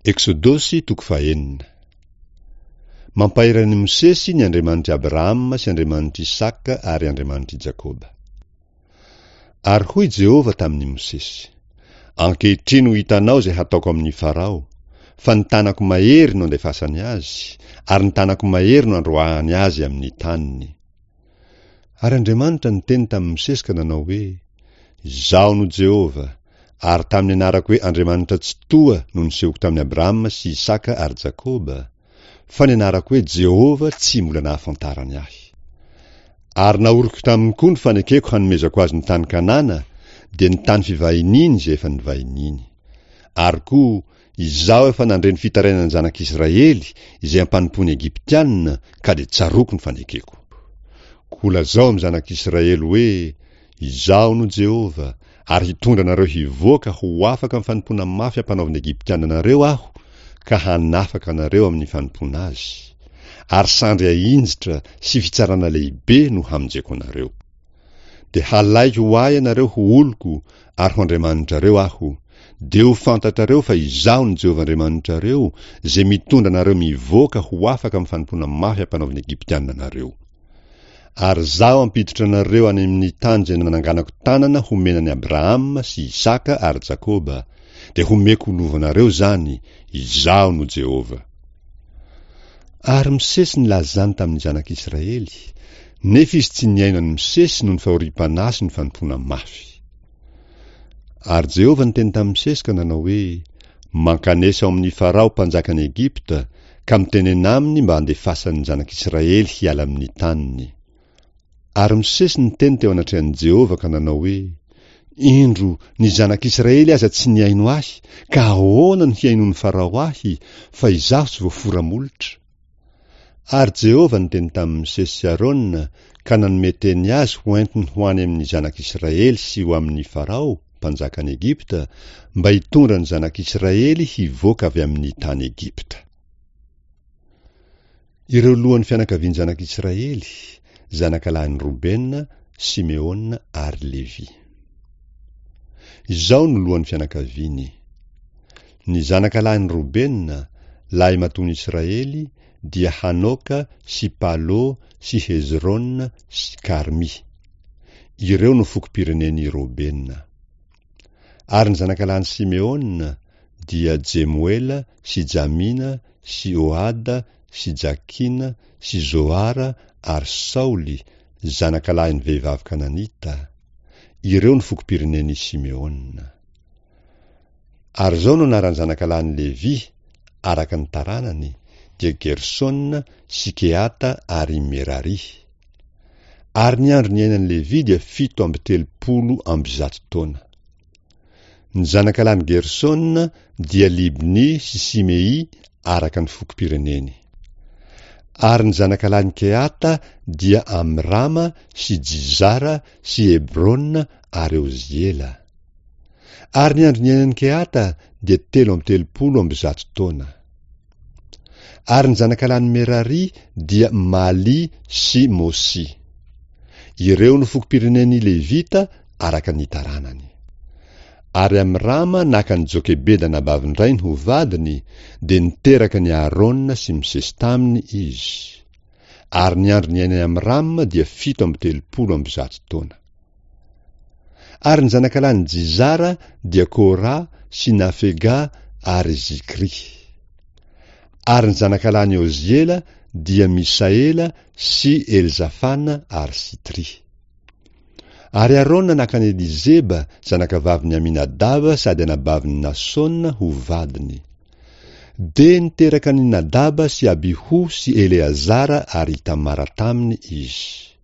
Eksodosy toko fahenina. Mampahery an'i Mosesy ny Andriamanitr'i Abrahama sy Andriamanitr'i Isaka ary Andriamanitr'i Jakoba. Ary hoy Jehovah tamin'i Mosesy, Ankehitriny ho hitanao izay hataoko amin'i Farao, fa ny tanako mahery no andefasany azy, ary ny tanako mahery no androahany azy amin'ny taniny. Ary Andriamanitra niteny tamin'i Mosesy ka nanao hoe, Izaho no Jehovah, ary tamin'ny anarako hoe Andriamanitra Tsitoha no nisehoko tamin'i Abrahama sy Isaka ary Jakoba, fa ny anarako hoe Jehovah tsy mbola nahafantarany ahy. Ary nahoriko taminy koa ny fanekeko hanomezako azy ny tany Kanana, dia ny tany fivahiniany izay efa nivahiniany. Ary koa, Izaho efa nandre ny fitarainan'ny zanak'Israely izay ampanompoan'ny Egyptiana, ka dia tsaroako ny fanekeko. Koa lazao amin'ny zanak'Israely hoe, Izaho no Jehovah, ary hitondra anareo hivoaka ho afaka amin'ny fanompoana mafy ampanaovin'ny Egyptiana anareo Aho, ka hanafaka anareo amin'ny fanompoana azy. Ary sandry ahinjitra sy fitsarana lehibe no hamonjeko anareo. Dia halaiko ho ahy ianareo ho oloko ary ho Andriamanitrareo Aho, dia ho fantatrareo fa Izaho no Jehovah Andriamanitrareo, izay mitondra anareo mivoaka ho afaka amin'ny fanompoana mafy ampanaovin'ny Egyptiana anareo. Ary Izaho hampiditra anareo any amin'ny tany izay nananganako tanana homena an'i Abrahama sy Isaka ary Jakoba, dia homeko ho lovanareo izany, Izaho no Jehovah. Ary Mosesy nilaza izany tamin'ny zanak'Israely, nefa izy tsy nihaino an'i Mosesy noho ny fahoriam-panahy sy ny fanompoana mafy. Ary Jehovah niteny tamin'i Mosesy ka nanao hoe, Mankanesa ao amin'i Farao mpanjakan'i Egypta, ka mitenena aminy mba handefasany ny zanak'Israely hiala amin'ny taniny. Ary Mosesy niteny teo anatrehan'i Jehovah ka nanao hoe, Indro, ny zanak'Israely aza tsy nihaino ahy, ka ahoana no hihainoan'i Farao ahy, fa izaho tsy voafora molotra? Ary Jehovah niteny tamin'i Mosesy sy Arona ka nanome teny azy ho entiny ho any amin'ny zanak'Israely sy ho amin'i Farao, mpanjakan'i Egypta, mba hitondra ny zanak'Israely hivoaka avy amin'ny tany Egypta. Ireo lohan'ny fianakavian'ny zanak'Israely, zanakalahin'i Robena, Simeona ary Levy. Izao no lohan'ny fianakaviany, Ny zanakalahin'i Robena, lahimatoan'i Israely, dia Hanoka sy Palo sy Hezrona sy Karmy. Ireo no fokom-pirenen'i Robena. Ary ny zanakalahin'i Simeona dia Jemoela sy Jamina sy Ohada sy Jakina sy Zohara ary Saoly, zanakalahin'ny vehivavy kananita. Ireo no fokom-pirenen'i Simeona. Ary izao no anaran'ny zanakalahin'i Levy, araka ny taranany, dia Gersona sy Kehata ary Merary. Ary ny andro niainan'i Levy dia 137 taona. Ny zanakalahin'i Gersona dia Libny sy Simey araka ny fokom-pireneny. Ary ny zanakalahin'i Kehata dia Amrama sy Jizara sy Hebrona ary Oziela. Ary ny andro niainan'i Kehata dia 133 taona. Ary ny zanakalahin'i Merary dia Maly sy Mosy. Ireo no fokom-pirenen'ny Levita araka ny taranany. Ary Amrama naka an'i Jokebeda anabavin-drainy ho vadiny, dia niteraka an'i Aharôna sy Mosesy taminy izy. Ary ny andro niainan'i Amrama dia 137 taona. Ary ny zanakalahin'i Jizara dia Kora sy Nafega ary Zikry. Ary ny zanakalahin'i Oziela dia Misaela sy Elzafana ary Sitry. Ary Arona naka an'i Elizeba, zanakavavin'i Aminadaba sady anabavin'i Nasona ho vadiny. Dia niteraka an'i Nadaba sy Abiho sy Eleazara ary Itamara taminy izy.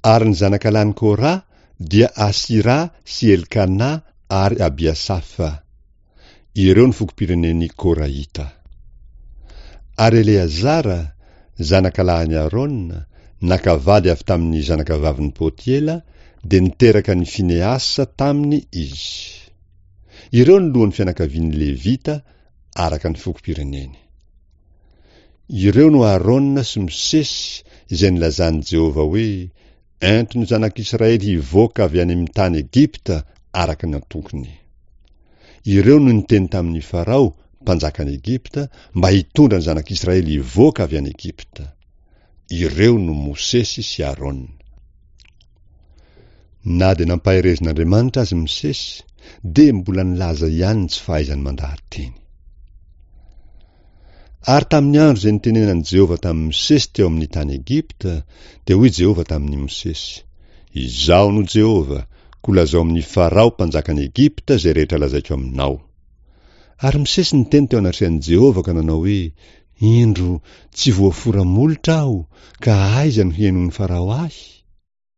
Ary ny zanakalahin'i Kora dia Asira sy Elkana ary Abiasafa. Ireo no fokom-pirenen'ny Korahita. Ary Eleazara, zanakalahin'i Arona, naka vady avy tamin'ny zanakavavin'i Potiela, dia niteraka an'i Finehasa taminy izy. Ireo no lohan'ny fianakavian'ny Levita araka ny fokom-pireneny. Ireo no Arona sy Mosesy izay nilazan'i Jehovah hoe, Ento ny zanak'Israely hivoaka avy any amin'ny tany Egypta araka ny antokony. Ireo no niteny tamin'i Farao, mpanjakan'i Egypta, mba hitondra ny zanak'Israely hivoaka avy any Egypta. Ireo no Mosesy sy Arona. Na dia nampaherezin'Andriamanitra aza i Mosesy, dia mbola nilaza ihany ny tsy fahaizany mandaha-teny. Ary tamin'ny andro izay nitenenan'i Jehovah tamin'i Mosesy teo amin'ny tany Egypta, dia hoy Jehovah tamin'i Mosesy, Izaho no Jehovah, koa lazao amin'i Farao mpanjakan'i Egypta izay rehetra lazaiko aminao. Ary Mosesy niteny teo anatrehan'i Jehovah ka nanao hoe, Indro, tsy voafora molotra aho, ka aiza no hihainoan'i Farao ahy?